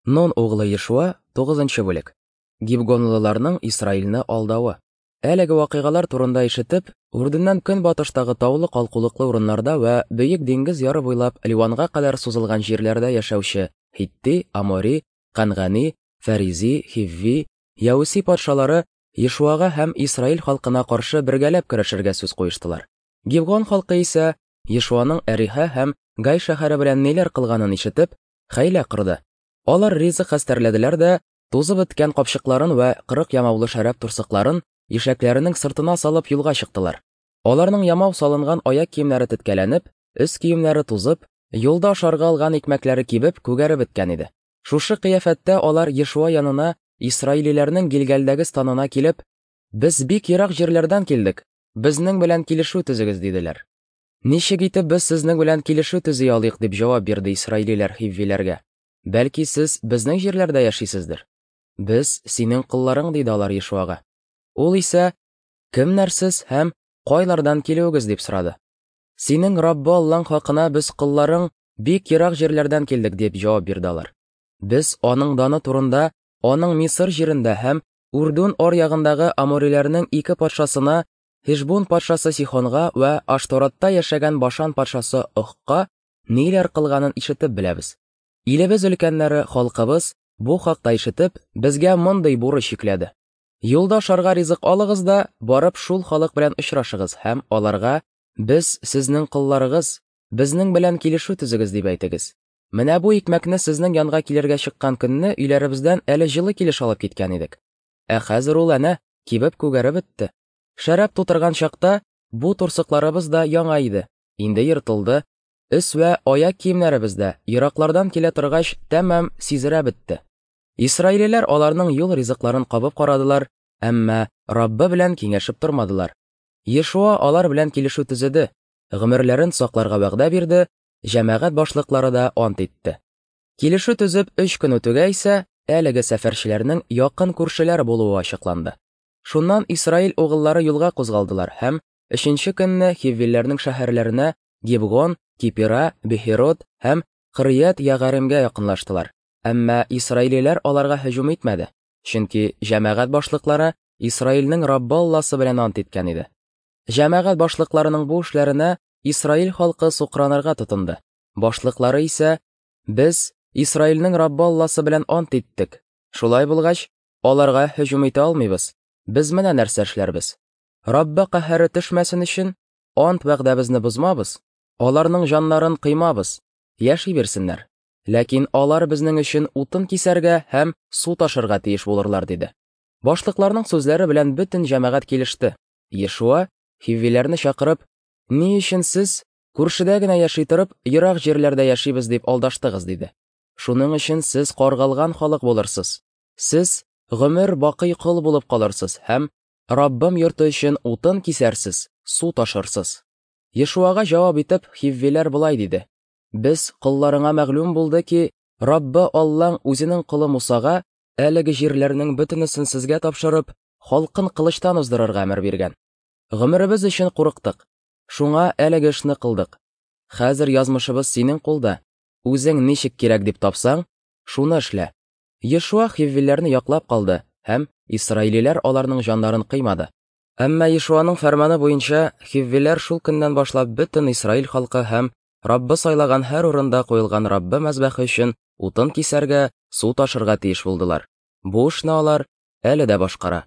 Нун углы Ешуа, 9 бүлек. Гибгонлыларның Исраилне алдавы. Әлеге вакыйгалар турында ишетеп, Үрдүннән көнбатыштагы таулы калкулыклы урыннарда вә бөек диңгез яры буйлап Ливанга кадәр сузылган җирләрдә яшәүче Хитти, Амори, Кангани, Фәризи, Хивви, Яүси патшалары Ешуага һәм Исраил халкына каршы бергәләп көрәшергә сүз куештылар. Гибгон халкы исә Ешуаның Әриха һәм Гай шәһәре белән ниләр кылганын ишетеп, хәйлә корды. Алар ризык хәстәрләделәр дә, тузып беткән капчыкларын вә 40 ямаулы шәраб турсыкларын ишәкләренең сыртына салып юлга чыктылар. Аларның ямау салынган аяк киемнәре теткәләнеп, өс киемнәре тузып, юлда ашарга алган икмәкләре кибеп, күгәреп беткән иде. Шушы кыяфәттә алар Ешуа янына исраилиләрнең Гилгалдәге станына килеп, "Без бик ерак җирләрдән килдек, безнең белән килешү төзегез", диделәр. Ничек итеп без сезнең белән килешү төзи алыйк, дип җавап бирде исраилиләр хиввиләргә. Бәлки сез безнең җирләрдә яшисездер? Без синең колларың, диде алар Ешуага. Ул исә, кемнәр сез һәм кайлардан килүегез, дип сорады. Синең Раббы Аллаң хакына без колларың бик ерак җирләрдән килдек, дип җавап бирде алар. Без аның даны турында аның Мисыр җирендә һәм Урдун аръягындагы амориләрнең ике патшасына, Хешбун патшасы Сихонга вә Ашторатта яшәгән Башан патшасы Охка ниләр кылганын ишетеп беләбез. Илебез өлкәннәре, халкыбыз бу хакта ишетеп, безгә мондый бурыч йөкләде. Юлда ашарга ризык алыгыз да, барып шул халык белән очрашыгыз һәм аларга, без сезнең колларыгыз, безнең белән килешү төзегез дип әйтегез. Менә бу икмәкне сезнең янга килергә чыккан көнне өйләребездән әле җылы килеш алып киткән идек. Ә хәзер ул әнә кибеп күгәреп бетте. Шәраб тутырган чакта бу турсыкларыбыз да яңа иде, инде ертылды, Өс вә аяк киемнәребез дә, ераклардан килә торгач, тәмам сизерә бетте. Исраилиләр аларның юл ризыкларын кабып карадылар, әмма Раббы белән киңәшеп тормадылар. Ешуа алар белән килешү төзеде, гомерләрен сакларга вәгъдә бирде, җәмәгать башлыклары да ант итте. Килешү төзеп өч көн үтүгә исә, әлеге сәфәрчеләрнең якын күршеләр булуы ачыкланды. Шуннан Исраил угыллары юлга кузгалдылар һәм өченче көнне хиввиләрнең шәһәрләренә Гибгон, Кипира, Бехерот һәм Кырыят Ягаримгә якынлаштылар. Әмма исраилиләр аларга һөҗүм итмәде, чөнки җәмәгать башлыклары Исраилнең Раббы Алласы белән ант иткән иде. Җәмәгать башлыкларының бу эшләренә Исраил халкы сукранырга тотынды. Башлыклары исә, Без Исраилнең Раббы Алласы белән ант иттек. Шулай булгач, аларга һөҗүм итә алмыйбыз. Без менә нәрсә эшләрбез. Раббы каһәре төшмәсен өчен, Ант вәгъдәбезне бозмабыз, аларның җаннарын кыймабыз, яши бирсеннәр. Ләкин алар безнең өчен утын кисәргә һәм су ташырга тиеш булырлар, диде. Башлыкларның сүзләре белән бөтен җәмәгать килеште. Ешуа, хиввиләрне чакырып, Ни өчен сез, күршедә генә яши торып, ерак җирләрдә яшибез дип алдаштыгыз, диде. Шуның өчен сез каргалган халык булырсыз. Сез гомер бакый кол булып калырсыз һәм Раббым йорты өчен утын кисәрсез, су ташырсыз. Ешуага җавап итеп, хиввиләр болай диде: Без колларыңа мәгълүм булды ки, Раббы Аллаң үзенең колы Мусага әлеге җирләрнең бөтенесен сезгә тапшырып, халкын кылычтан уздырырга әмер биргән. Гомеребез өчен курыктык. Шуңа әлеге эшне кылдык. Хәзер язмышыбыз синең кулда. Үзең ничек кирәк дип тапсаң, шуны эшлә. Ешуа хиввиләрне яклап калды һәм исраилиләр аларның җаннарын кыймады. Әмма Ешуаның фәрманы буенча хиввиләр шул көннән башлап бөтен Исраил халкы һәм Раббы сайлаган һәр урында куелган Раббы мәзбәхе өчен утын кисәргә, су ташырга тиеш булдылар. Бу эшне алар әле дә башкара.